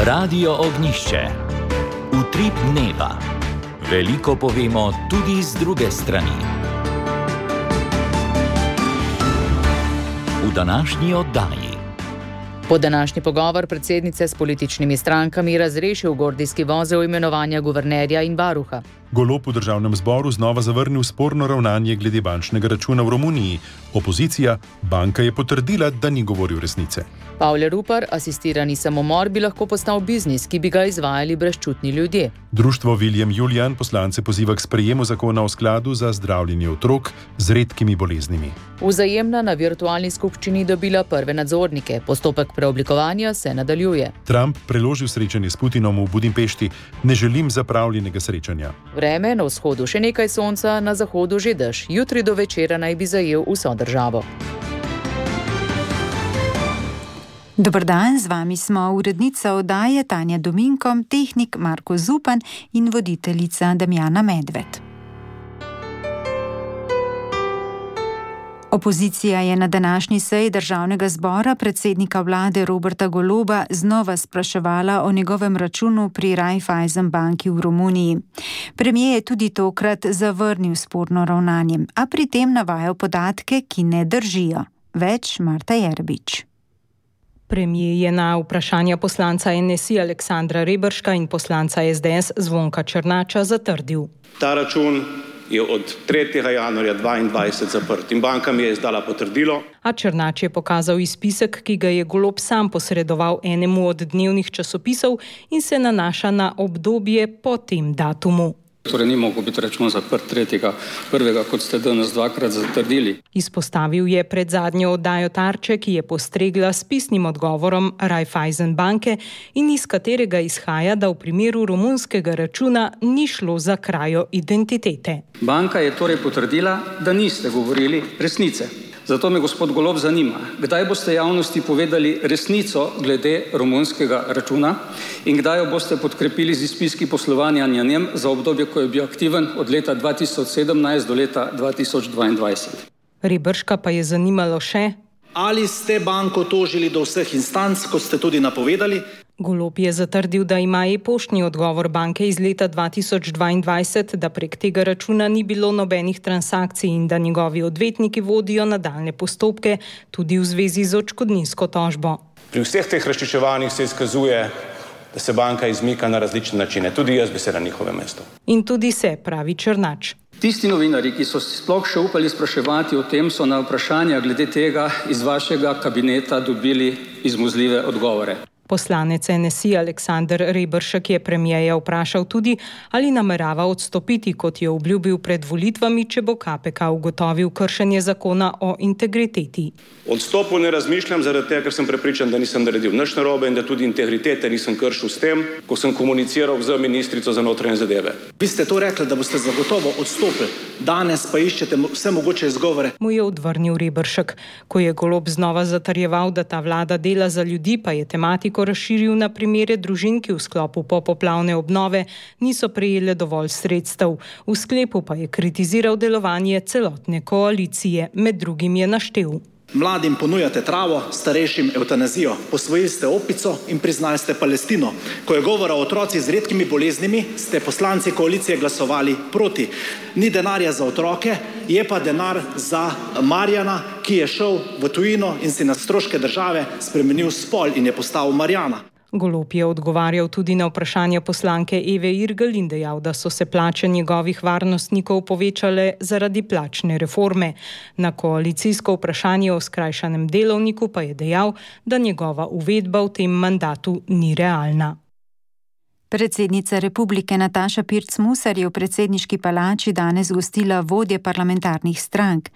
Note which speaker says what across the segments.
Speaker 1: Radio Ognjišče. Utrip dneva. Veliko povemo tudi z druge strani. V današnji oddaji.
Speaker 2: Po današnji pogovor predsednice s političnimi strankami razrešil gordijski vozel imenovanja guvernerja in varuha.
Speaker 3: Golob v državnem zboru znova zavrnil sporno ravnanje glede bančnega računa v Romuniji. Opozicija, banka je potrdila, da ni govoril resnice.
Speaker 2: Pavle Rupar, asistirani samomor bi lahko postal biznis, ki bi ga izvajali brezčutni ljudje.
Speaker 3: Društvo William Julian poslance poziva k sprejemu zakona o skladu za zdravljenje otrok z redkimi boleznimi.
Speaker 2: Vzajemna na virtualni skupščini dobila prve nadzornike. Postopek preoblikovanja se nadaljuje.
Speaker 3: Trump preložil srečanje s Putinom v Budimpešti. Ne želim zapravljenega srečanja.
Speaker 2: Vreme, na vzhodu še nekaj sonca, na zahodu že dež. Jutri do večera naj bi zajel vso državo.
Speaker 4: Dober dan, z vami smo urednica oddaje Tanja Dominko, tehnik Marko Zupan in voditeljica Damjana Medved. Opozicija je na današnji seji državnega zbora predsednika vlade Roberta Goloba znova spraševala o njegovem računu pri Raiffeisen banki v Romuniji. Premijer je tudi tokrat zavrnil sporno ravnanje, a pri tem navajal podatke, ki ne držijo. Več Marta Jerbič.
Speaker 5: Premijer je na vprašanja poslanca NSI Aleksandra Reberška in poslanca SDS Zvonka Černača zatrdil.
Speaker 6: Ta račun je od 3. januarja 2022 zaprt in banka mi je izdala potrdilo.
Speaker 5: A Černač je pokazal izpisek, ki ga je Golob sam posredoval enemu od dnevnih časopisov in se nanaša na obdobje po tem datumu.
Speaker 7: Torej ni mogel biti račun zaprt 3.1., kot ste danes dvakrat zatrdili.
Speaker 5: Izpostavil je pred zadnjo oddajo Tarče, ki je postregla s pisnim odgovorom Raiffeisen banke in iz katerega izhaja, da v primeru romunskega računa ni šlo za krajo identitete.
Speaker 7: Banka je torej potrdila, da niste govorili resnice. Zato me gospod Golob zanima, kdaj boste javnosti povedali resnico glede romunskega računa in kdaj jo boste podkrepili z izpiski poslovanja na njem za obdobje, ko je bil aktiven od leta 2017 do leta 2022.
Speaker 5: Reberška pa je zanimalo še,
Speaker 8: ali ste banko tožili do vseh instanc, kot ste tudi napovedali?
Speaker 5: Golob je zatrdil, da ima e-poštni odgovor banke iz leta 2022, da prek tega računa ni bilo nobenih transakcij in da njegovi odvetniki vodijo nadaljnje postopke tudi v zvezi z odškodninsko tožbo.
Speaker 6: Pri vseh teh razčiščevanjih se izkazuje, da se banka izmika na različne načine. Tudi jaz bi se na njihovem mestu.
Speaker 5: In tudi se, pravi Černač.
Speaker 7: Tisti novinarji, ki so sploh še upali spraševati o tem, so na vprašanja glede tega iz vašega kabineta dobili izmuzljive odgovore.
Speaker 5: Poslanec NSI Aleksander Reberšek je premijeja vprašal tudi, ali namerava odstopiti, kot je obljubil pred volitvami, če bo KPK ugotovil kršenje zakona o integriteti.
Speaker 6: Odstopu ne razmišljam zaradi tega, ker sem prepričan, da nisem naredil nič narobe in da tudi integritete nisem kršil s tem, ko sem komuniciral z ministrico za notranje zadeve.
Speaker 8: Vi ste to rekli, da boste zagotovo odstopili. Danes pa iščete vse mogoče izgovore.
Speaker 5: Mu je odvrnil Reberšek. Ko je Golob znova zatrjeval, da ta vlada dela za ljudi, pa je tematiko razširil na primere družin, ki v sklopu popoplavne obnove niso prejele dovolj sredstev. V sklepu pa je kritiziral delovanje celotne koalicije. Med drugim je naštel.
Speaker 8: Mladim ponujate travo, starejšim evtanazijo. Posvojili ste opico in priznali ste Palestino. Ko je govora o otrocih z redkimi boleznimi, ste poslanci koalicije glasovali proti. Ni denarja za otroke, je pa denar za Marjana, ki je šel v tujino in si na stroške države spremenil spol in je postal Marjana.
Speaker 5: Golob je odgovarjal tudi na vprašanje poslanke Eve Irgl in dejal, da so se plače njegovih varnostnikov povečale zaradi plačne reforme. Na koalicijsko vprašanje o skrajšanem delovniku pa je dejal, da njegova uvedba v tem mandatu ni realna.
Speaker 4: Predsednica republike Nataša Pirc Musar je v predsedniški palači danes gostila vodje parlamentarnih strank.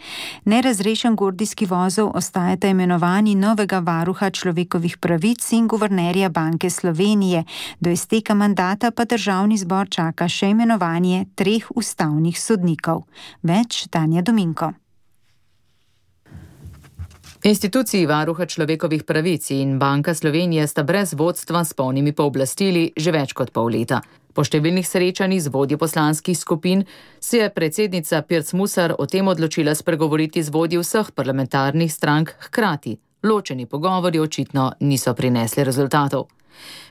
Speaker 4: Nerazrešen gordijski vozel ostajata imenovani novega varuha človekovih pravic in guvernerja Banke Slovenije. Do izteka mandata pa državni zbor čaka še imenovanje 3 ustavnih sodnikov. Več Tanja Dominko.
Speaker 2: Instituciji varuha človekovih pravic in Banka Slovenije sta brez vodstva s polnimi pooblastili že več kot pol leta. Po številnih srečanjih z vodji poslanskih skupin se je predsednica Pirc Musar o tem odločila spregovoriti z vodji vseh parlamentarnih strank hkrati. Ločeni pogovori očitno niso prinesli rezultatov.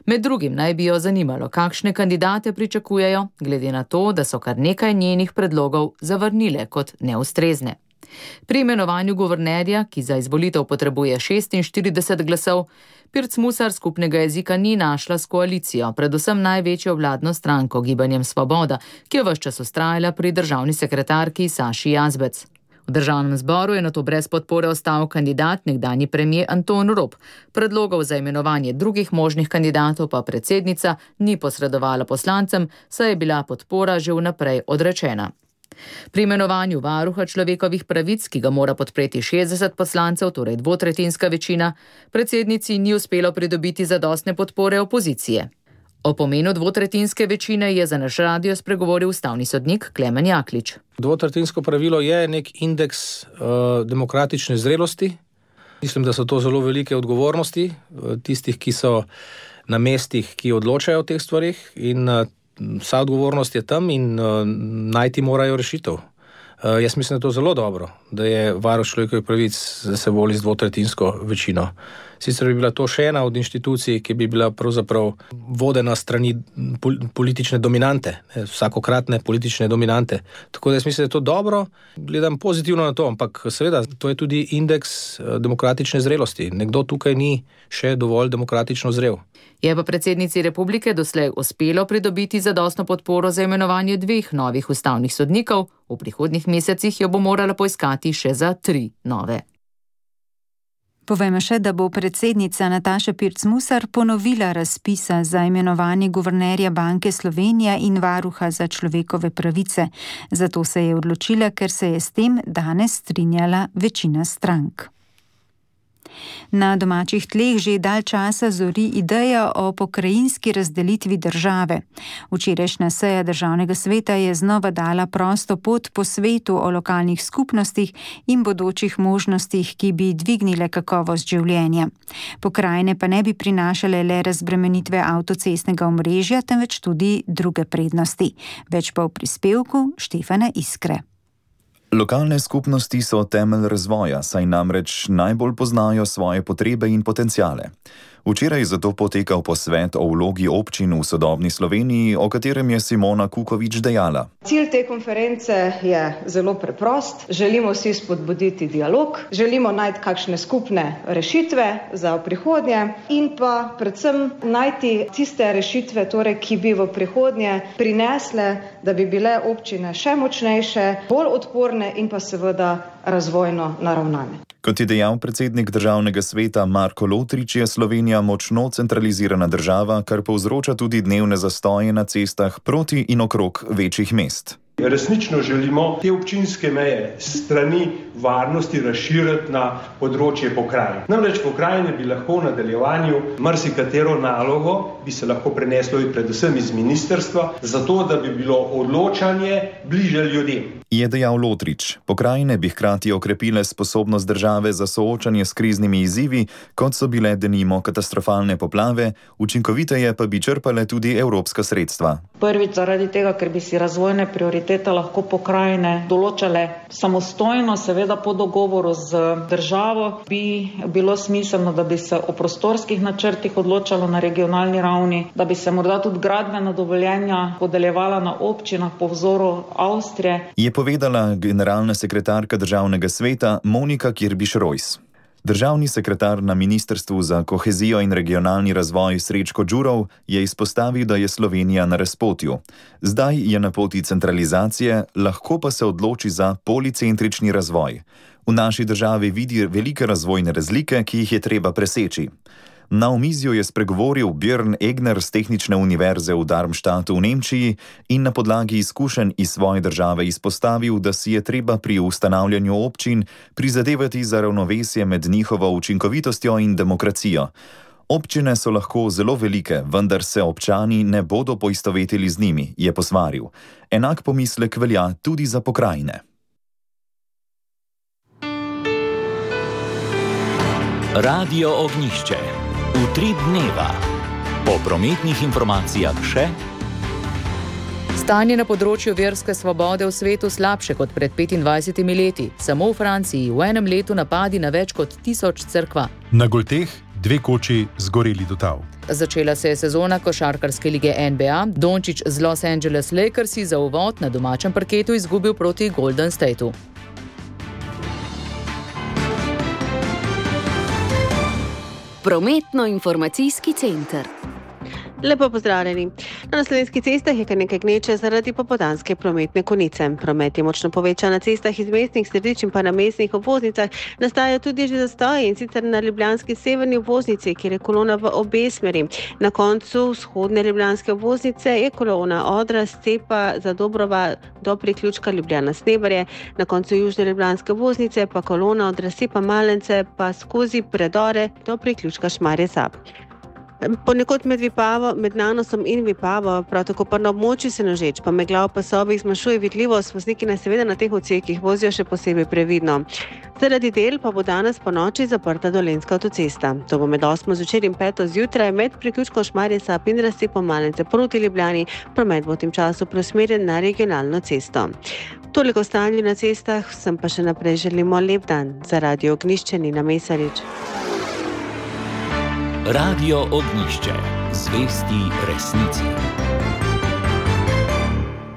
Speaker 2: Med drugim naj bi jo zanimalo, kakšne kandidate pričakujejo, glede na to, da so kar nekaj njenih predlogov zavrnile kot neustrezne. Pri imenovanju guvernerja, ki za izvolitev potrebuje 46 glasov, Pirc Musar skupnega jezika ni našla s koalicijo, predvsem največjo vladno stranko Gibanjem Svoboda, ki je ves čas vztrajala pri državni sekretarki Saši Jazbec. V državnem zboru je nato brez podpore ostal kandidat nekdanji premier Anton Rop. Predlogov za imenovanje drugih možnih kandidatov pa predsednica ni posredovala poslancem, saj je bila podpora že vnaprej odrečena. Pri imenovanju varuha človekovih pravic, ki ga mora podpreti 60 poslancev, torej dvotretjinska večina, predsednici ni uspelo pridobiti zadostne podpore opozicije. O pomenu dvotretjinske večine je za naš radio spregovoril ustavni sodnik Klemen Jaklič.
Speaker 9: Dvotretjinsko pravilo je nek indeks demokratične zrelosti. Mislim, da so to zelo velike odgovornosti tistih, ki so na mestih, ki odločajo o teh stvarih, in vsa odgovornost je tam in najti morajo rešitev. Jaz mislim, da je to zelo dobro, da je varuh človekovih pravic, da se voli z dvotretjinsko večino. Sicer bi bila to še ena od inštitucij, ki bi bila pravzaprav vodena strani politične dominante, vsakokratne politične dominante. Tako da jaz mislim, da je to dobro, gledam pozitivno na to, ampak seveda to je tudi indeks demokratične zrelosti. Nekdo tukaj ni še dovolj demokratično zrel.
Speaker 2: Je pa predsednici republike doslej uspelo pridobiti zadostno podporo za imenovanje 2 novih ustavnih sodnikov, v prihodnjih mesecih jo bo morala poiskati še za 3 nove.
Speaker 4: Povejmo še, da bo predsednica Nataša Pirc Musar ponovila razpisa za imenovanje guvernerja Banke Slovenije in varuha za človekove pravice. Zato se je odločila, ker se je s tem danes strinjala večina strank. Na domačih tleh že dalj časa zori ideja o pokrajinski razdelitvi države. Včerajšnja seja državnega sveta je znova dala prosto pot po svetu o lokalnih skupnostih in bodočih možnostih, ki bi dvignile kakovost življenja. Pokrajine pa ne bi prinašale le razbremenitve avtocestnega omrežja, temveč tudi druge prednosti. Več pa v prispevku Štefana Iskre.
Speaker 10: Lokalne skupnosti so temelj razvoja, saj namreč najbolj poznajo svoje potrebe in potenciale. Včeraj zato potekal posvet o vlogi občin v sodobni Sloveniji, o katerem je Simona Kukovič dejala.
Speaker 11: Cilj te konference je zelo preprost. Želimo si spodbuditi dialog, želimo najti kakšne skupne rešitve za prihodnje in pa predvsem najti tiste rešitve, torej, ki bi v prihodnje prinesle, da bi bile občine še močnejše, bolj odporne in pa seveda razvojno naravnane.
Speaker 10: Kot je dejal predsednik državnega sveta Marko Lotrič, je Slovenija močno centralizirana država, kar povzroča tudi dnevne zastoje na cestah proti in okrog večjih mest.
Speaker 12: Resnično želimo te občinske meje strani varnosti razširiti na področje pokrajin. Namreč pokrajine bi lahko v nadaljevanju marsikatero nalogo bi se lahko preneslo predvsem iz ministrstva, zato da bi bilo odločanje bliže ljudem.
Speaker 10: Je dejal Lotrič. Pokrajine bi hkrati okrepile sposobnost države za soočanje s kriznimi izzivi, kot so bile denimo katastrofalne poplave, učinkoviteje pa bi črpale tudi evropska sredstva.
Speaker 13: Prvič zaradi tega, ker bi si razvojne prioritete lahko pokrajine določale samostojno, seveda po dogovoru z državo, bi bilo smiselno, da bi se o prostorskih načrtih odločalo na regionalni ravni, da bi se morda tudi gradbena dovoljenja podeljevala na občinah po vzoru Avstrije.
Speaker 10: Je povedala generalna sekretarka državnega sveta Monika Kirbiš-Rojs. Državni sekretar na Ministrstvu za kohezijo in regionalni razvoj Srečko Đurov je izpostavil, da je Slovenija na razpotju. Zdaj je na poti centralizacije, lahko pa se odloči za policentrični razvoj. V naši državi vidi velike razvojne razlike, ki jih je treba preseči. Na omizju je spregovoril Björn Egner z Tehnične univerze v Darmstadtu v Nemčiji in na podlagi izkušenj iz svoje države izpostavil, da si je treba pri ustanavljanju občin prizadevati za ravnovesje med njihovo učinkovitostjo in demokracijo. Občine so lahko zelo velike, vendar se občani ne bodo poistovetili z njimi, je posvaril. Enak pomislek velja tudi za pokrajine.
Speaker 1: Radio Ognjišče. Utrip dneva. Po prometnih informacijah še.
Speaker 2: Stanje na področju verske svobode v svetu slabše kot pred 25 leti. Samo v Franciji v enem letu napadi na več kot 1000 cerkva.
Speaker 3: Na Golteh 2 koči zgoreli do tal.
Speaker 2: Začela se je sezona košarkarske lige NBA. Dončić z Los Angeles Lakersi za uvod na domačem parketu izgubil proti Golden Stateu.
Speaker 14: Prometno-informacijski center. Lepo pozdravljeni. Na slovenskih cestah je kar nekaj gneče zaradi popoldanske prometne konice. Promet je močno povečan na cestah iz mestnih središč in pa na mestnih obvoznicah. Nastajajo tudi že zastoji, in sicer na ljubljanski severni obvoznici, kjer je kolona v obe smeri. Na koncu vzhodne ljubljanske obvoznice je kolona Odra Stepa za Dobrova do priključka Ljubljana-Snebarje. Na koncu južne ljubljanske obvoznice pa kolona od Razcepa Malence pa skozi predore do priključka Šmarje-Zab. Ponekod med Nanosom in Vipavo, prav tako pa na območju Senožeč, pa megla v pasovih zmanjšuje vidljivost, vozniki naj seveda na teh odsekih vozijo še posebej previdno. Zaradi del pa bo danes po noči zaprta Dolenjska avtocesta. To bo med 8. zvečer in 5. zjutraj med priključkom Šmarje-Zab in Razcepom Malence proti Ljubljani. Promet bo v tem času preusmerjen na regionalno cesto. Toliko o stanju na cestah, vsem pa še naprej želimo lep dan. Za Radio Ognjišče Nina Mesarič.
Speaker 1: Radio Ognjišče. Zvesti resnici.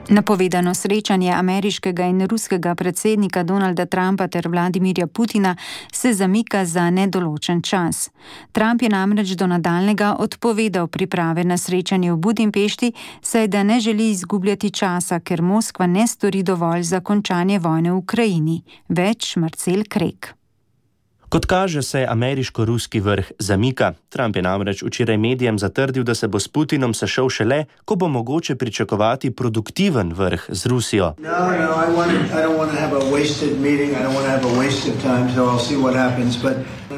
Speaker 4: Napovedano srečanje ameriškega in ruskega predsednika Donalda Trumpa ter Vladimirja Putina se zamika za nedoločen čas. Trump je namreč do nadaljnjega odpovedal priprave na srečanje v Budimpešti, saj da ne želi izgubljati časa, ker Moskva ne stori dovolj za končanje vojne v Ukrajini. Več Marcel Krek.
Speaker 15: Kot kaže, se ameriško-ruski vrh zamika. Trump je namreč včeraj medijem zatrdil, da se bo s Putinom sešel šele, ko bo mogoče pričakovati produktiven vrh z Rusijo.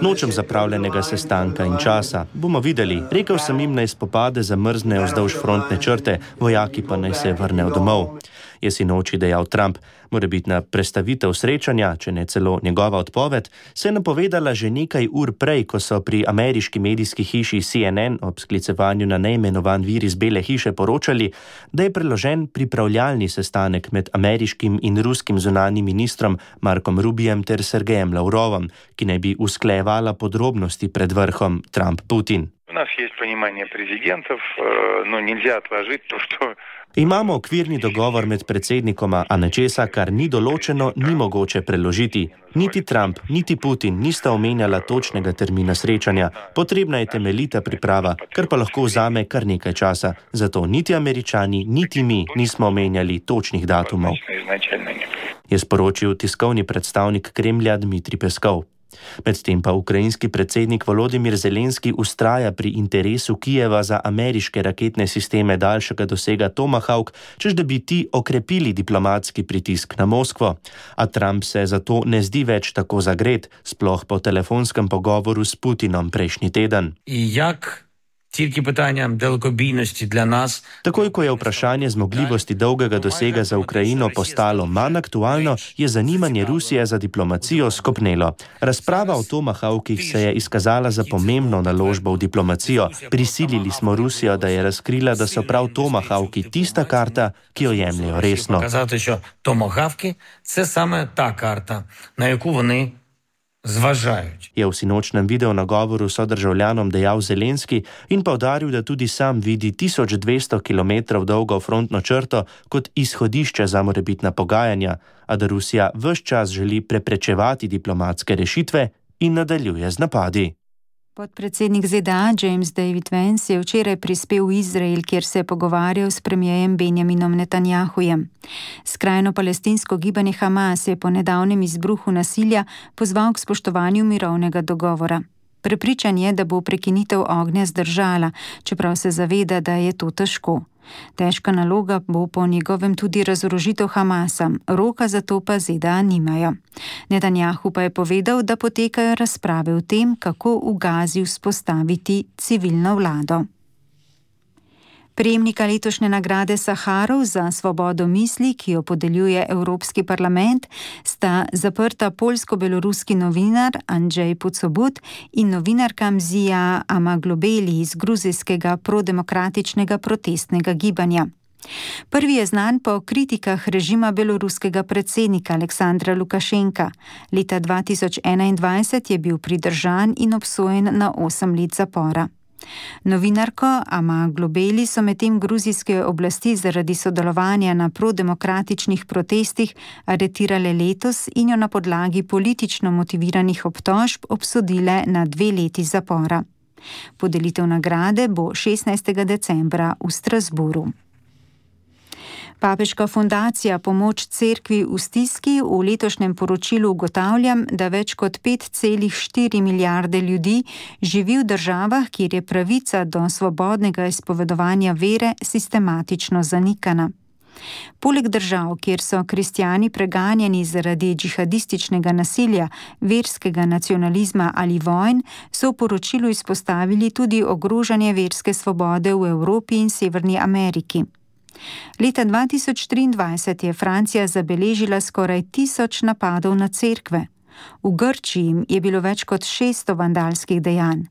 Speaker 15: Nočem zapravljenega sestanka in časa. Bomo videli. Rekel sem jim, naj spopade zamrznejo vzdolž frontne črte, vojaki pa naj se vrnejo domov. Je sinoči dejal Trump. Morebitna prestavitev srečanja, če ne celo njegova odpoved, se je napovedala že nekaj ur prej, ko so pri ameriški medijski hiši CNN ob sklicevanju na neimenovan vir iz Bele hiše poročali, da je preložen pripravljalni sestanek med ameriškim in ruskim zunanjim ministrom Markom Rubijem ter Sergejem Lavrovom, ki naj bi usklejevala podrobnosti pred vrhom Trump-Putin. Imamo okvirni dogovor med predsednikoma, a nečesa, kar ni določeno, ni mogoče preložiti. Niti Trump, niti Putin nista omenjala točnega termina srečanja. Potrebna je temeljita priprava, kar pa lahko vzame kar nekaj časa. Zato niti Američani, niti mi nismo omenjali točnih datumov, je sporočil tiskovni predstavnik Kremlja Dmitrij Peskov. Medtem pa ukrajinski predsednik Volodimir Zelenski vztraja pri interesu Kijeva za ameriške raketne sisteme daljšega dosega Tomahawk, čež da bi ti okrepili diplomatski pritisk na Moskvo. A Trump se zato ne zdi več tako zagret, sploh po telefonskem pogovoru s Putinom prejšnji teden. Takoj, ko je vprašanje zmogljivosti dolgega dosega za Ukrajino postalo manj aktualno, je zanimanje Rusije za diplomacijo skopnelo. Razprava o Tomahawkih se je izkazala za pomembno naložbo v diplomacijo. Prisilili smo Rusijo, da je razkrila, da so prav Tomahawki tista karta, ki jo jemljejo resno. Je v sinočnem video nagovoru sodržavljanom dejal Zelenski in poudaril, da tudi sam vidi 1200 km dolgo frontno črto kot izhodišče za morebitna pogajanja, a da Rusija ves čas želi preprečevati diplomatske rešitve in nadaljuje z napadi.
Speaker 4: Podpredsednik ZDA James David Vance je včeraj prispel v Izrael, kjer se je pogovarjal s premierjem Benjaminom Netanjahujem. Skrajno palestinsko gibanje Hamas je po nedavnem izbruhu nasilja pozval k spoštovanju mirovnega dogovora. Prepričan je, da bo prekinitev ognja zdržala, čeprav se zaveda, da je to težko. Težka naloga bo po njegovem tudi razorožitev Hamasa, roka za to pa ZDA nimajo. Netanjahu pa je povedal, da potekajo razprave o tem, kako v Gazi vzpostaviti civilno vlado. Prejemnika letošnje nagrade Saharov za svobodo misli, ki jo podeljuje Evropski parlament, sta zaprta poljsko-beloruski novinar Andrzej Poczobut in novinarka Mzija Amaglobeli iz gruzijskega prodemokratičnega protestnega gibanja. Prvi je znan po kritikah režima beloruskega predsednika Aleksandra Lukašenka. Leta 2021 je bil pridržan in obsojen na 8 let zapora. Novinarko Ama Globeli so medtem gruzijske oblasti zaradi sodelovanja na prodemokratičnih protestih aretirale letos in jo na podlagi politično motiviranih obtožb obsodile na 2 leti zapora. Podelitev nagrade bo 16. decembra v Strasburu. Papeška fundacija Pomoč cerkvi v stiski v letošnjem poročilu ugotavlja, da več kot 5,4 milijarde ljudi živi v državah, kjer je pravica do svobodnega izpovedovanja vere sistematično zanikana. Poleg držav, kjer so kristjani preganjani zaradi džihadističnega nasilja, verskega nacionalizma ali vojn, so v poročilu izpostavili tudi ogrožanje verske svobode v Evropi in Severni Ameriki. Leta 2023 je Francija zabeležila skoraj 1000 napadov na cerkve. V Grčiji je bilo več kot 600 vandalskih dejanj.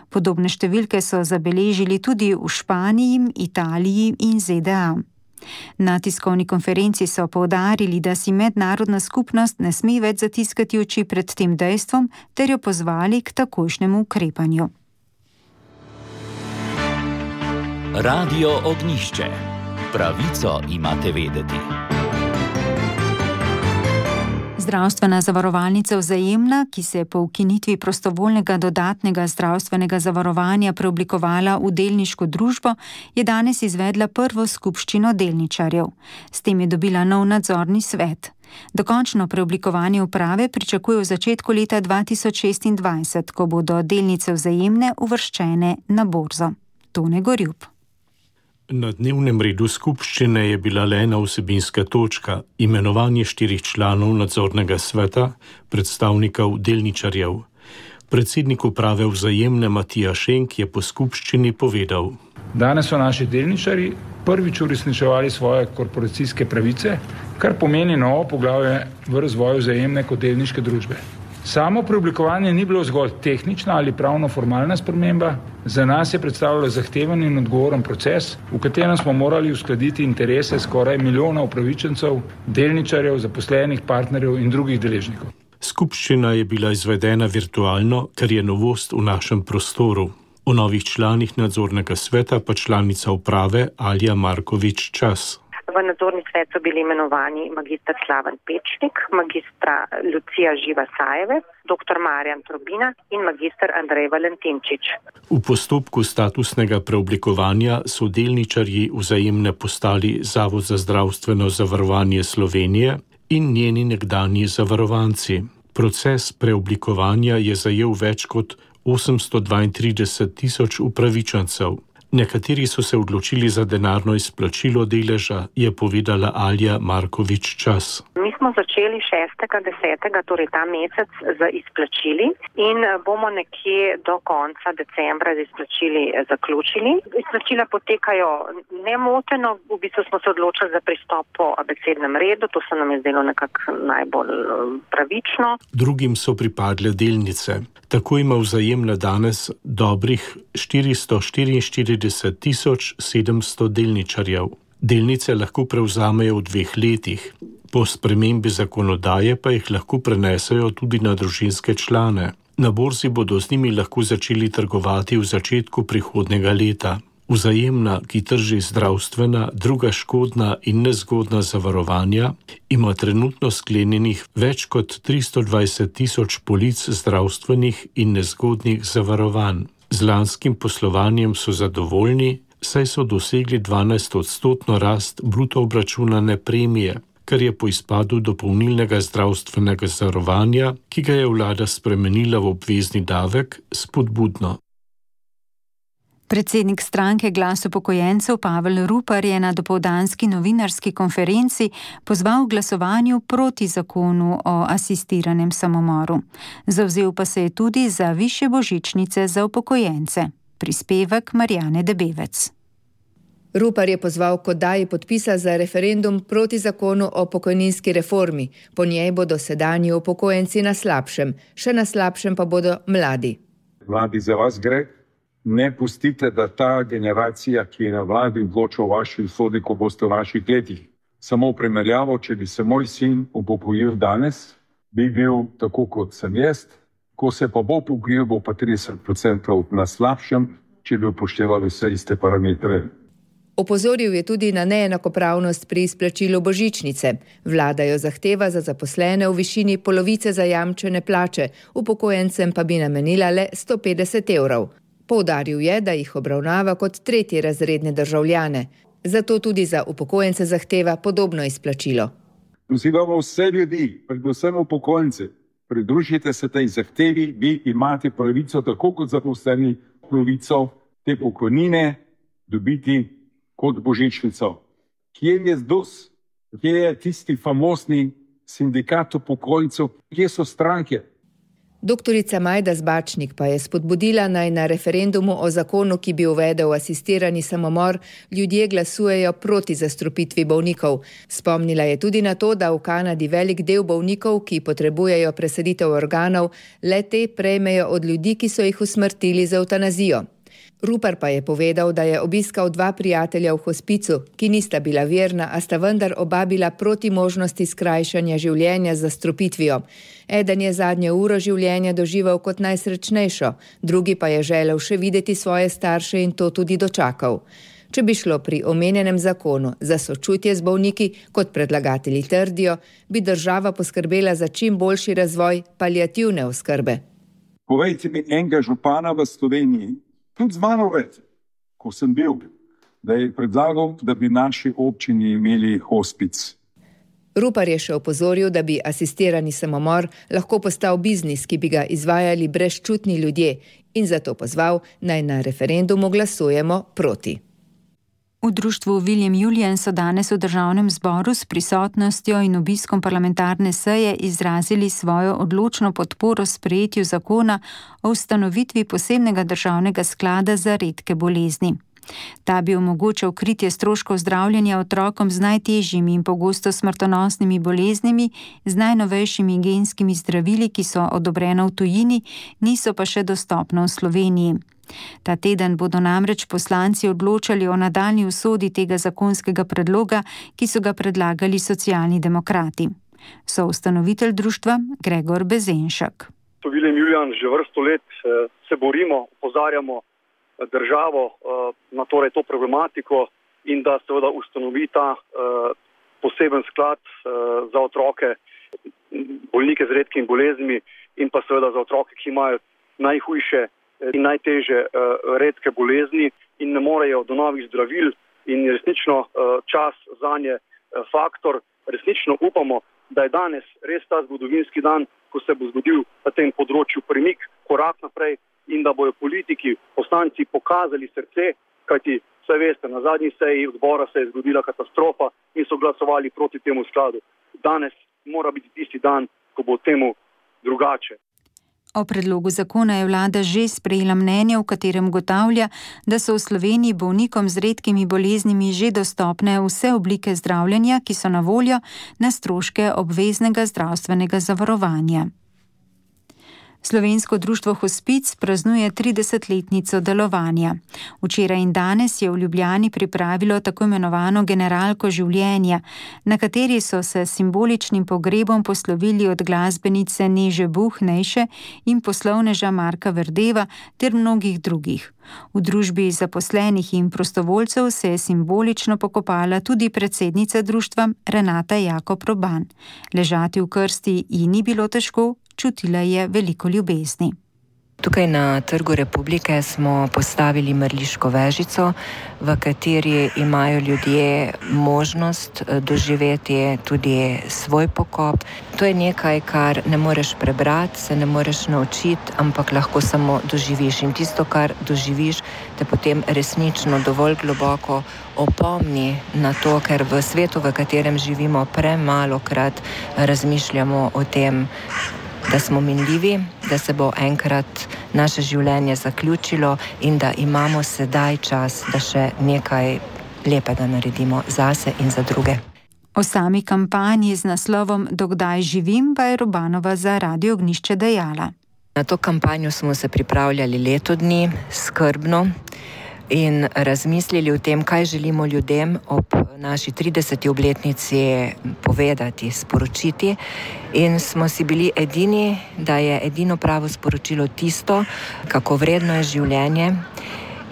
Speaker 4: Podobne številke so zabeležili tudi v Španiji, Italiji in ZDA. Na tiskovni konferenci so poudarili, da si mednarodna skupnost ne sme več zatiskati oči pred tem dejstvom, ter jo pozvali k takojšnjemu ukrepanju.
Speaker 1: Radio Ognjišče. Pravico imate vedeti.
Speaker 4: Zdravstvena zavarovalnica Vzajemna, ki se je po ukinitvi prostovoljnega dodatnega zdravstvenega zavarovanja preoblikovala v delniško družbo, je danes izvedla prvo skupščino delničarjev. S tem je dobila nov nadzorni svet. Dokončno preoblikovanje uprave pričakuje v začetku leta 2026, ko bodo delnice Vzajemne uvrščene na borzo. Tone Gorjup.
Speaker 16: Na dnevnem redu skupščine je bila le ena vsebinska točka, imenovanje 4 članov nadzornega sveta, predstavnikov delničarjev. Predsednik uprave Vzajemne Matija Šenk je po skupščini povedal:
Speaker 17: Danes so naši delničarji prvič uresničevali svoje korporacijske pravice, kar pomeni novo poglavje v razvoju Vzajemne kot delniške družbe. Samo preoblikovanje ni bilo zgolj tehnična ali pravno-formalna sprememba, za nas je predstavljalo zahteven in odgovoren proces, v katerem smo morali uskladiti interese skoraj milijona upravičencev, delničarjev, zaposlenih, partnerjev in drugih deležnikov.
Speaker 16: Skupščina je bila izvedena virtualno, kar je novost v našem prostoru. O novih članih nadzornega sveta pa članica uprave Alja Markovič Čas.
Speaker 18: V nadzorni svet so bili imenovani magistr Slaven Pečnik, magistra Lucija Živa-Sajeve, dr. Marjan Trobina in magistr Andrej Valentinčič.
Speaker 16: V postopku statusnega preoblikovanja so delničarji Vzajemne postali Zavod za zdravstveno zavarovanje Slovenije in njeni nekdanji zavarovanci. Proces preoblikovanja je zajel več kot 832 tisoč upravičencev. Nekateri so se odločili za denarno izplačilo deleža, je povedala Alja Markovič Čas.
Speaker 18: Mi smo začeli 6.10., torej ta mesec, z izplačili in bomo nekje do konca decembra z izplačili zaključili. Izplačila potekajo nemoteno, v bistvu smo se odločili za pristop po abecednem redu, to se nam je zdelo nekako najbolj pravično.
Speaker 16: Drugim so pripadle delnice. Tako ima Vzajemna danes dobrih 444.700 delničarjev. Delnice lahko prevzamejo v 2 letih. Po spremembi zakonodaje pa jih lahko prenesejo tudi na družinske člane. Na borzi bodo z njimi lahko začeli trgovati v začetku prihodnjega leta. Vzajemna, ki trži zdravstvena, druga škodna in nezgodna zavarovanja, ima trenutno sklenjenih več kot 320.000 polic zdravstvenih in nezgodnih zavarovanj. Z lanskim poslovanjem so zadovoljni, saj so dosegli 12% rast bruto obračunane premije, kar je po izpadu dopolnilnega zdravstvenega zavarovanja, ki ga je vlada spremenila v obvezni davek, spodbudno.
Speaker 4: Predsednik stranke Glas upokojencev Pavel Rupar je na dopoldanski novinarski konferenci pozval k glasovanju proti zakonu o asistiranem samomoru. Zavzel pa se je tudi za višje božičnice za upokojence. Prispevek Marjane Debevec.
Speaker 19: Rupar je pozval k oddaji podpisa za referendum proti zakonu o pokojninski reformi. Po njej bodo sedanji upokojenci na slabšem, še na slabšem pa bodo mladi.
Speaker 20: Mladi, za vas gre. Ne pustite, da ta generacija, ki je na vladi, odloča o vaši usodi, ko boste v vaših letih. Samo v primerjavo, če bi se moj sin upokojil danes, bi bil tako kot sem jaz, ko se pa bo upokojil, bo pa 30% na slabšem, če bi upoštevali vse iste parametre.
Speaker 19: Opozoril je tudi na neenakopravnost pri izplačilu božičnice. Vlada jo zahteva za zaposlene v višini polovice zajamčene plače, upokojencem pa bi namenila le 150 evrov. Poudaril je, da jih obravnava kot tretjerazredne državljane. Zato tudi za upokojence zahteva podobno izplačilo.
Speaker 20: Pozivamo vse ljudi, predvsem upokojence, pridružite se tej zahtevi, vi imate pravico, tako kot zaposleni, pravico te pokojnine dobiti kot božičnico. Kje je ZDUS? Kje je tisti famosni sindikat upokojencev? Kje so stranke?
Speaker 19: Doktorica Majda Zbačnik pa je spodbudila, naj na referendumu o zakonu, ki bi uvedel asistirani samomor, ljudje glasujejo proti zastrupitvi bolnikov. Spomnila je tudi na to, da v Kanadi velik del bolnikov, ki potrebujejo presaditev organov, le te prejmejo od ljudi, ki so jih usmrtili z evtanazijo. Rupar pa je povedal, da je obiskal 2 prijatelja v hospicu, ki nista bila verna, a sta vendar oba bila proti možnosti skrajšanja življenja z zastrupitvijo. Eden je zadnjo uro življenja doživel kot najsrečnejšo, drugi pa je želel še videti svoje starše in to tudi dočakal. Če bi šlo pri omenjenem zakonu za sočutje z bolniki, kot predlagatelji trdijo, bi država poskrbela za čim boljši razvoj paliativne oskrbe.
Speaker 20: Povejte mi enega župana v Sloveniji, tudi z mano več, ko sem bil, da je predlagal, da bi naši občini imeli hospic.
Speaker 19: Rupar je še opozoril, da bi asistirani samomor lahko postal biznis, ki bi ga izvajali brezčutni ljudje, in zato pozval, naj na referendumu glasujemo proti.
Speaker 4: V društvu William Julian so danes v državnem zboru s prisotnostjo in obiskom parlamentarne seje izrazili svojo odločno podporo sprejetju zakona o ustanovitvi posebnega državnega sklada za redke bolezni. Ta bi omogočal kritje stroškov zdravljenja otrokom z najtežjimi in pogosto smrtonosnimi boleznimi, z najnovejšimi genskimi zdravili, ki so odobrena v tujini, niso pa še dostopna v Sloveniji. Ta teden bodo namreč poslanci odločali o nadaljnji usodi tega zakonskega predloga, ki so ga predlagali socialni demokrati. Soustanovitelj društva Gregor Bezenšek.
Speaker 21: William Julian že vrsto let se borimo, opozarjamo državo na to problematiko in da seveda ustanovi ta poseben sklad za otroke, bolnike z redkimi boleznimi in pa seveda za otroke, ki imajo najhujše in najtežje redke bolezni in ne morejo do novih zdravil in resnično čas zanje faktor. Resnično upamo, da je danes res ta zgodovinski dan, ko se bo zgodil na tem področju premik, korak naprej in da bojo politiki, poslanci pokazali srce, kajti vse veste, na zadnji seji odbora se je zgodila katastrofa in so glasovali proti temu skladu. Danes mora biti tisti dan, ko bo temu drugače.
Speaker 4: O predlogu zakona je vlada že sprejela mnenje, v katerem ugotavlja, da so v Sloveniji bolnikom z redkimi boleznimi že dostopne vse oblike zdravljenja, ki so na voljo na stroške obveznega zdravstvenega zavarovanja. Slovensko društvo Hospic praznuje 30-letnico delovanja. Včeraj in danes je v Ljubljani pripravilo tako imenovano generalko življenja, na kateri so se simboličnim pogrebom poslovili od glasbenice Neže Buh-Nejše in poslovneža Marka Verdeva ter mnogih drugih. V družbi zaposlenih in prostovoljcev se je simbolično pokopala tudi predsednica društva Renata Jakob Roban. Ležati v krsti ji ni bilo težko, čutila je veliko ljubezni.
Speaker 22: Tukaj na Trgu Republike smo postavili mrliško vežico, v kateri imajo ljudje možnost doživeti tudi svoj pokop. To je nekaj, kar ne moreš prebrati, se ne moreš naučiti, ampak lahko samo doživiš. In tisto, kar doživiš, te potem resnično dovolj globoko opomni na to, ker v svetu, v katerem živimo, premalokrat razmišljamo o tem, da smo minljivi, da se bo enkrat naše življenje zaključilo in da imamo sedaj čas, da še nekaj lepega naredimo zase in za druge.
Speaker 4: O sami kampanji z naslovom Dokdaj živim pa je Robanova za Radio Ognjišče dejala.
Speaker 22: Na to kampanjo smo se pripravljali leto dni, skrbno, in razmislili o tem, kaj želimo ljudem ob naši 30. obletnici povedati, sporočiti. In smo si bili edini, da je edino pravo sporočilo tisto, kako vredno je življenje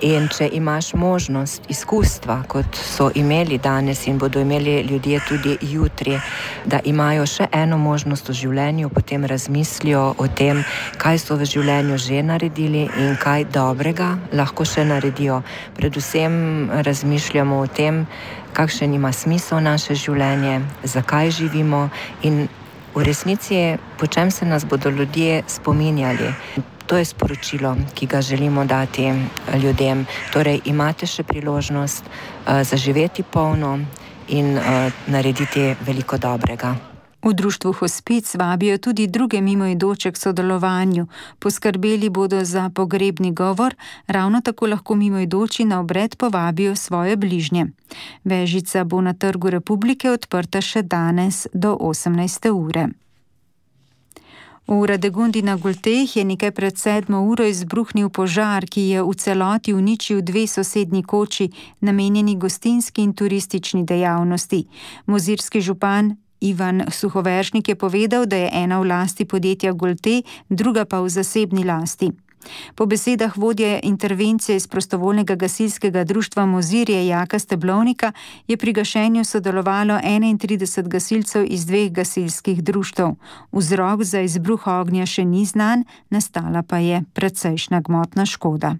Speaker 22: In če imaš možnost, izkustva, kot so imeli danes in bodo imeli ljudje tudi jutri, da imajo še eno možnost v življenju, potem razmislijo o tem, kaj so v življenju že naredili in kaj dobrega lahko še naredijo. Predvsem razmišljamo o tem, kakšen ima smisel naše življenje, zakaj živimo in v resnici, po čem se nas bodo ljudje spominjali. To je sporočilo, ki ga želimo dati ljudem. Torej, imate še priložnost zaživeti polno in narediti veliko dobrega.
Speaker 4: V društvu Hospic vabijo tudi druge mimoidoče k sodelovanju. Poskrbeli bodo za pogrebni govor, ravno tako lahko mimoidoči na obred povabijo svoje bližnje. Vežica bo na Trgu Republike odprta še danes do 18. ure. V Radegundi na Golteh je nekaj pred 7. uro izbruhnil požar, ki je v celoti uničil 2 sosednji koči, namenjeni gostinski in turistični dejavnosti. Mozirski župan Ivan Suhoveržnik je povedal, da je ena v lasti podjetja Golte, druga pa v zasebni lasti. Po besedah vodje intervencije iz prostovoljnega gasilskega društva Mozirje Jaka Steblovnika je pri gašenju sodelovalo 31 gasilcev iz 2 gasilskih društev. Vzrok za izbruh ognja še ni znan, nastala pa je precejšnja gmotna škoda.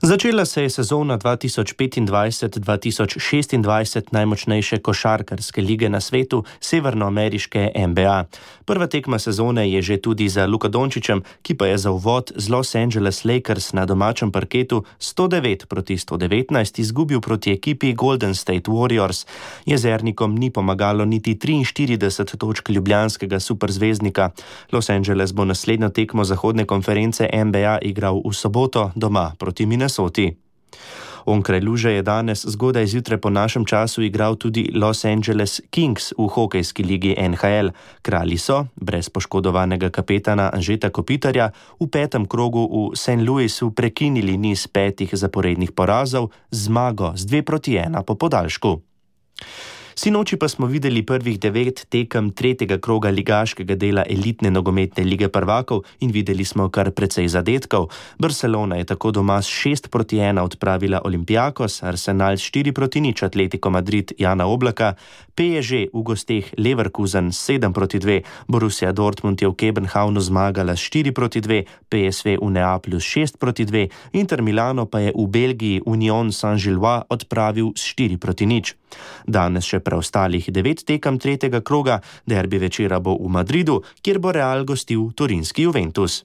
Speaker 15: Začela se je sezona 2025-2026 najmočnejše košarkarske lige na svetu, severnoameriške NBA. Prva tekma sezone je že tudi za Luko Dončićem, ki pa je za uvod z Los Angeles Lakers na domačem parketu 109-119 izgubil proti ekipi Golden State Warriors. Jezernikom ni pomagalo niti 43 točk ljubljanskega superzvezdnika. Los Angeles bo naslednjo tekmo zahodne konference NBA igral v soboto doma proti Minnesoti. Onkraj luže je danes zgodaj zjutraj po našem času igral tudi Los Angeles Kings v hokejski ligi NHL. Kralji so, brez poškodovanega kapetana Anžeta Kopitarja, v 5. krogu v St. Louisu prekinili niz 5 zaporednih porazov z zmago z 2-1 po podaljšku. Sinoči pa smo videli prvih 9 tekem 3. kroga ligaškega dela elitne nogometne lige prvakov in videli smo kar precej zadetkov. Barcelona je tako doma s 6-1 odpravila Olympiakos, Arsenal s 4-0 Atletico Madrid Jana Oblaka, PSG v gosteh Leverkusen 7-2, Borussia Dortmund je v Kopenhavnu zmagala s 4-2, PSV v Neaplju s 6-2, Inter Milano pa je v Belgiji Union Saint-Gilloise odpravil s 4-0. Danes še preostalih 9 tekem 3. kroga, derbi večera bo v Madridu, kjer bo Real gostil torinski Juventus.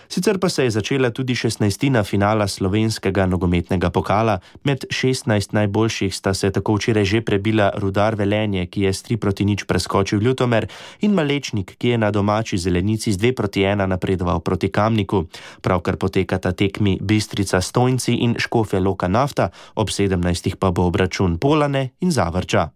Speaker 15: Sicer pa se je začela tudi 16. finala slovenskega nogometnega pokala. Med 16 najboljših sta se tako včeraj že prebila Rudar Velenje, ki je s 3-0 preskočil Ljutomer, in Malečnik, ki je na domači Zelenici z 2-1 napredoval proti Kamniku. Pravkar potekata tekmi Bistrica Stojnci in Škofja Loka Nafta, ob 17. pa bo obračun Polane in Zavrča.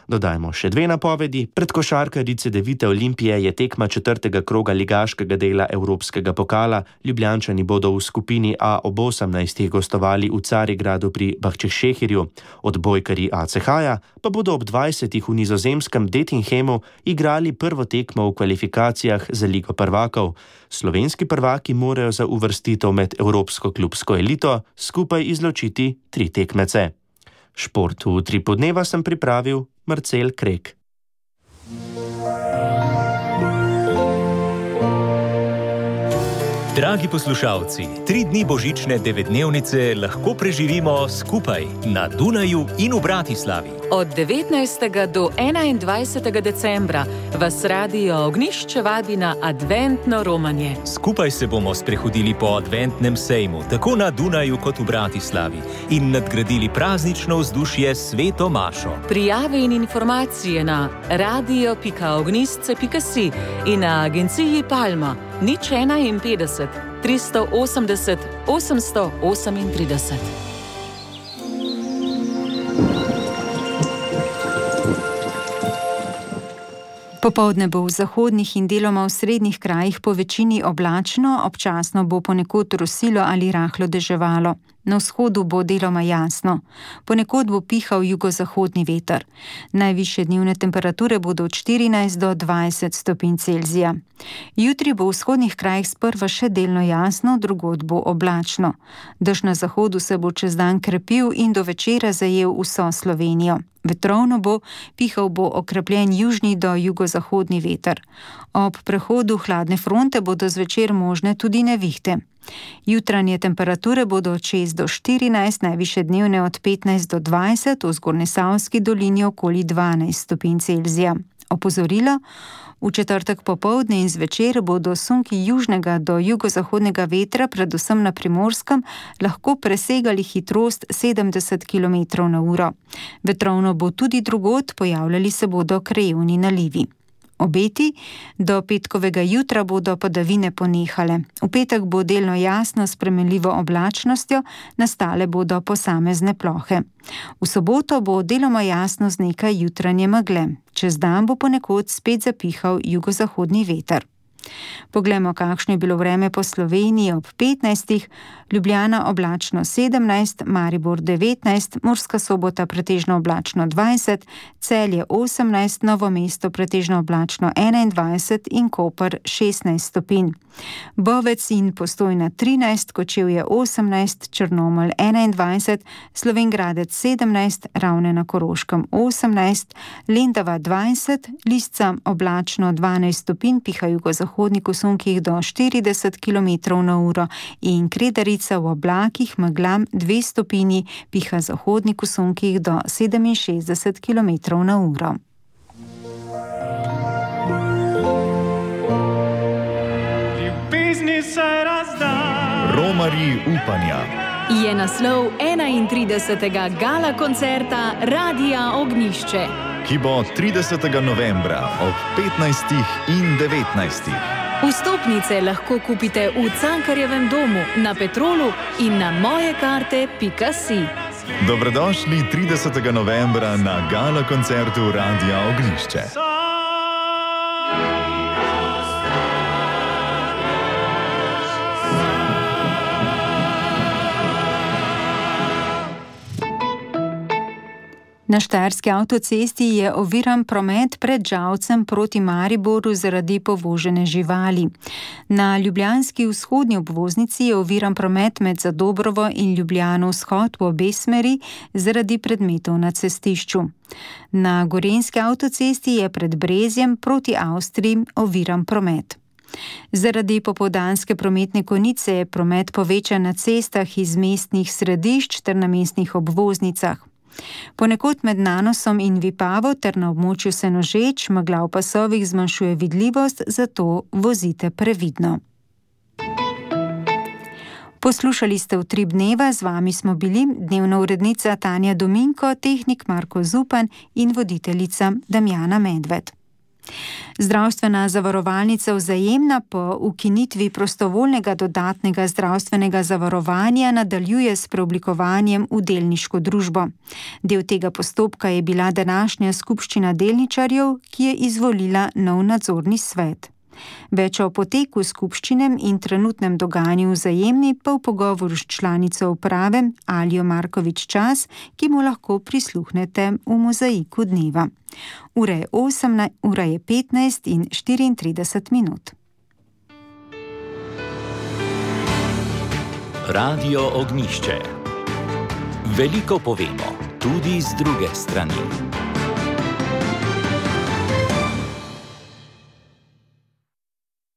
Speaker 15: Dodajmo še 2 napovedi. Pred košarkarice Devite Olimpije je tekma 4. kroga ligaškega dela Evropskega pokala. Ljubljančani bodo v skupini A ob 18. gostovali v Carigradu pri Bahčešehirju. Odbojkarji ACH-ja pa bodo ob 20. v nizozemskem Dettinghamu igrali prvo tekmo v kvalifikacijah za Ligo prvakov. Slovenski prvaki morajo za uvrstitev med evropsko klubsko elito skupaj izločiti 3 tekmece. Šport v Utripu dneva sem pripravil Marcel Krek.
Speaker 1: Dragi poslušalci, 3 dni božične 9-dnevnice lahko preživimo skupaj na Dunaju in v Bratislavi.
Speaker 2: Od 19. do 21. decembra vas Radio Ognjišče vabi na adventno romanje.
Speaker 1: Skupaj se bomo sprehodili po adventnem sejmu, tako na Dunaju kot v Bratislavi, in nadgradili praznično vzdušje s Sveto mašo.
Speaker 2: Prijave in informacije na radio.ognjišče.si in na agenciji Palma 051 380 838.
Speaker 4: Popoldne bo v zahodnih in deloma v srednjih krajih po večini oblačno, občasno bo ponekod rosilo ali rahlo deževalo. Na vzhodu bo deloma jasno. Ponekod bo pihal jugozahodni veter. Najvišje dnevne temperature bodo od 14 do 20 stopinj Celzija. Jutri bo v vzhodnih krajih sprva še delno jasno, drugod bo oblačno. Dež na zahodu se bo čez dan krepil in do večera zajel vso Slovenijo. Vetrovno bo, pihal bo okrepljen južni do jugozahodni veter. Ob prehodu hladne fronte bodo zvečer možne tudi nevihte. Jutranje temperature bodo od 6 do 14, najvišje dnevne od 15 do 20, v Zgornjesavski dolini okoli 12 stopinj Celzija. Opozorilo: v četrtek popoldne in zvečer bodo sunki južnega do jugozahodnega vetra, predvsem na Primorskem, lahko presegali hitrost 70 km/h. Vetrovno bo tudi drugod, pojavljali se bodo krajevni nalivi. Obeti: do petkovega jutra bodo padavine ponehale. V petek bo delno jasno s spremenljivo oblačnostjo, nastale bodo posamezne plohe. V soboto bo deloma jasno z nekaj jutranje megle. Čez dan bo ponekod spet zapihal jugozahodni veter. Poglejmo, kakšno je bilo vreme po Sloveniji ob 15. Ljubljana oblačno 17, Maribor 19, Murska Sobota pretežno oblačno 20, Celje 18, Novo mesto pretežno oblačno 21 in Koper 16 stopinj. Bovec in Postojna 13, Kočevje 18, Črnomelj 21, Slovenj Gradec 17, Ravne na Koroškem 18, Lendava 20, Lisca oblačno 12 stopinj, piha jugozahodnik v sunkih do 40 km/h in Kredarica v oblakih meglam 2 stopinji, piha zahodnik v sunkih do 67 km/h.
Speaker 10: Romarji upanja
Speaker 6: je naslov 31. gala koncerta Radia Ognišče,
Speaker 10: ki bo 30. novembra ob 15. in 19.
Speaker 6: Vstopnice lahko kupite v Cankarjevem domu, na Petrolu in na mojekarte.si.
Speaker 10: Dobrodošli 30. novembra na gala koncertu Radia Ognišče.
Speaker 4: Na štajerski avtocesti je oviran promet pred Žalcem proti Mariboru zaradi povožene živali. Na ljubljanski vzhodni obvoznici je oviran promet med Zadobrovo in Ljubljano vzhod v obe smeri zaradi predmetov na cestišču. Na gorenjski avtocesti je pred Brezjem proti Avstriji oviran promet. Zaradi popoldanske prometne konice je promet povečan na cestah iz mestnih središč ter na mestnih obvoznicah. Ponekod med Nanosom in Vipavo ter na območju Senožeč megla v pasovih zmanjšuje vidljivost, zato vozite previdno. Poslušali ste Utrip dneva, z vami smo bili dnevna urednica Tanja Dominko, tehnik Marko Zupan in voditeljica Damjana Medved. Zdravstvena zavarovalnica Vzajemna po ukinitvi prostovoljnega dodatnega zdravstvenega zavarovanja nadaljuje s preoblikovanjem v delniško družbo. Del tega postopka je bila današnja skupščina delničarjev, ki je izvolila nov nadzorni svet. Več o poteku skupščine in trenutnem dogajanju Vzajemni pa v pogovoru s članico uprave Aljo Markovič Čas, ki mu lahko prisluhnete v mozaiku dneva. Ura je 15 in 34 minut.
Speaker 1: Radio Ognišče. Veliko povemo, tudi z druge strani.